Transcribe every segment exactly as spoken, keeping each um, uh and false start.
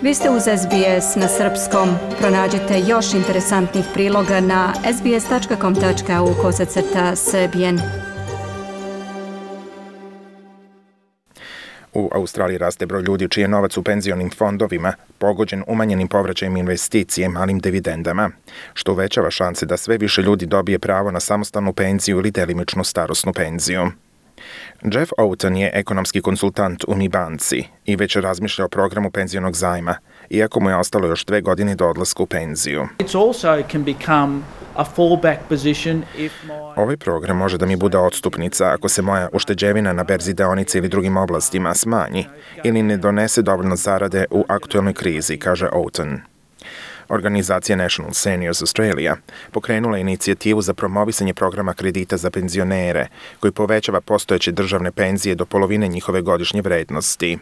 Vi ste uz S B S na srpskom. Pronađite još interesantnih priloga na sbs.com.au kosacrta srbijen. U Australiji raste broj ljudi čiji je novac u penzionim fondovima pogođen umanjenim povraćajem investicije malim dividendama, što uvećava šanse da sve više ljudi dobije pravo na samostalnu penziju ili delimičnu starosnu penziju. Jeff Oughton je ekonomski konsultant u Mi banci i već razmišlja o programu penzionog zajma, iako mu je ostalo još dve godine do odlaska u penziju. Ovaj program može da mi bude odstupnica ako se moja ušteđevina na berzi deonica ili drugim oblastima smanji ili ne donese dovoljno zarade u aktuelnoj krizi, kaže Oughton. Organizacija National Seniors Australia pokrenula je inicijativu za promovisanje programa kredita za penzionere, koji povećava postojeće državne penzije do polovine njihove godišnje vrednosti.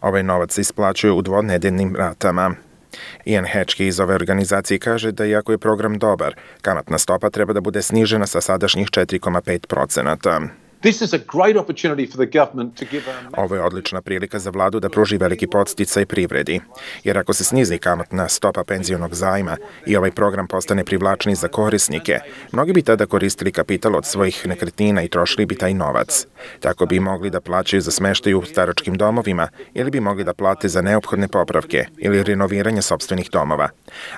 Ovaj novac se isplaćuje u dvonedeljnim ratama. Ian Hatchke iz ove organizacije kaže da iako je program dobar, kamatna stopa treba da bude snižena sa sadašnjih četiri zarez pet procenata. Ovo je odlična prilika za vladu da pruži veliki podsticaj privredi, jer ako se snizi kamatna stopa penzionog zajma i ovaj program postane privlačniji za korisnike, mnogi bi tada koristili kapital od svojih nekretnina i trošili bi taj novac. Tako bi mogli da plaćaju za smeštaj u staračkim domovima ili bi mogli da plate za neophodne popravke ili renoviranje sopstvenih domova,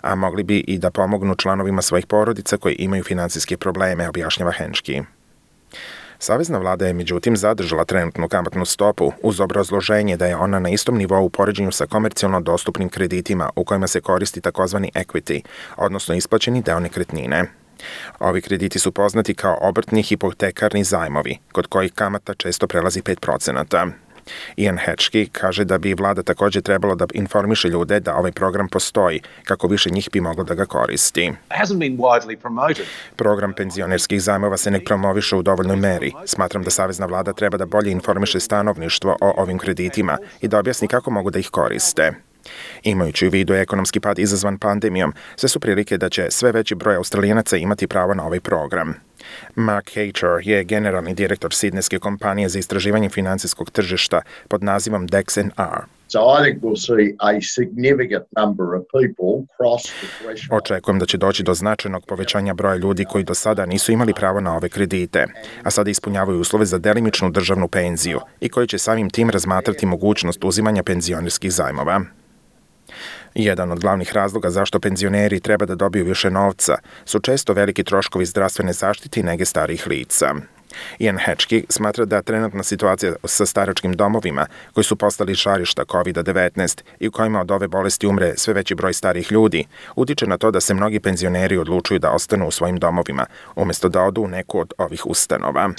a mogli bi i da pomognu članovima svojih porodica koji imaju finansijske probleme, objašnjava Hatchke. Savezna vlada je međutim zadržala trenutnu kamatnu stopu uz obrazloženje da je ona na istom nivou u poređenju sa komercijalno dostupnim kreditima u kojima se koristi takozvani equity, odnosno isplaćeni deo nekretnine. Ovi krediti su poznati kao obrtni hipotekarni zajmovi, kod kojih kamata često prelazi pet procenata. Ian Hatchke kaže da bi vlada također trebalo da informiše ljude da ovaj program postoji, kako više njih bi moglo da ga koristi. Program penzionerskih zajmova se ne promoviše u dovoljnoj meri. Smatram da savezna vlada treba da bolje informiše stanovništvo o ovim kreditima i da objasni kako mogu da ih koriste. Imajući u vidu ekonomski pad izazvan pandemijom, sve su prilike da će sve veći broj Australijanaca imati pravo na ovaj program. Mark Hatcher je generalni direktor sidnejske kompanije za istraživanje finansijskog tržišta pod nazivom Dex and R. Očekujem da će doći do značajnog povećanja broja ljudi koji do sada nisu imali pravo na ove kredite, a sada ispunjavaju uslove za delimičnu državnu penziju i koji će samim tim razmatrati mogućnost uzimanja penzionerskih zajmova. Jedan od glavnih razloga zašto penzioneri treba da dobiju više novca su često veliki troškovi zdravstvene zaštite i nege starijih lica. Ian Hatchke smatra da trenutna situacija sa staračkim domovima, koji su postali žarišta kovid devetnaest i u kojima od ove bolesti umre sve veći broj starijih ljudi, utiče na to da se mnogi penzioneri odlučuju da ostanu u svojim domovima, umjesto da odu u neku od ovih ustanova.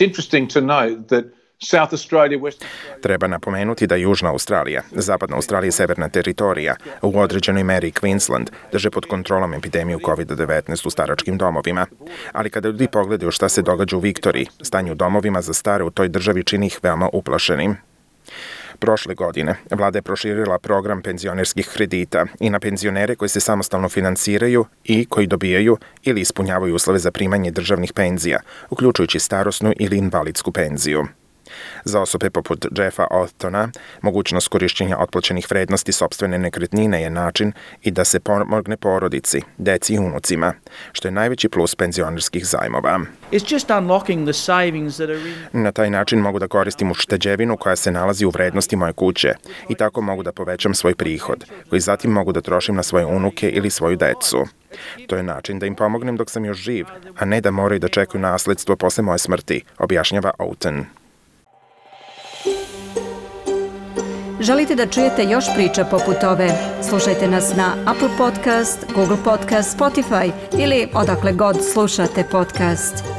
Treba napomenuti da Južna Australija, Zapadna Australija i Severna teritorija, u određenoj meri Queensland, drže pod kontrolom epidemiju kovid devetnaest u staračkim domovima. Ali kada ljudi pogledaju šta se događa u Viktoriji, stanje u domovima za stare u toj državi čini ih veoma uplašenim. Prošle godine vlada je proširila program penzionerskih kredita i na penzionere koji se samostalno finansiraju i koji dobijaju ili ispunjavaju uslove za primanje državnih penzija, uključujući starosnu ili invalidsku penziju. Za osobe poput Jeffa Ouchtona, mogućnost korišćenja otplaćenih vrednosti sopstvene nekretnine je način i da se pomogne porodici, deci i unucima, što je najveći plus penzionerskih zajmova. Na taj način mogu da koristim ušteđevinu koja se nalazi u vrednosti moje kuće i tako mogu da povećam svoj prihod, koji zatim mogu da trošim na svoje unuke ili svoju decu. To je način da im pomognem dok sam još živ, a ne da moraju da čekaju nasledstvo posle moje smrti, objašnjava Oughton. Želite da čujete još priča poput ove? Slušajte nas na Apple Podcast, Google Podcast, Spotify ili odakle god slušate podcast.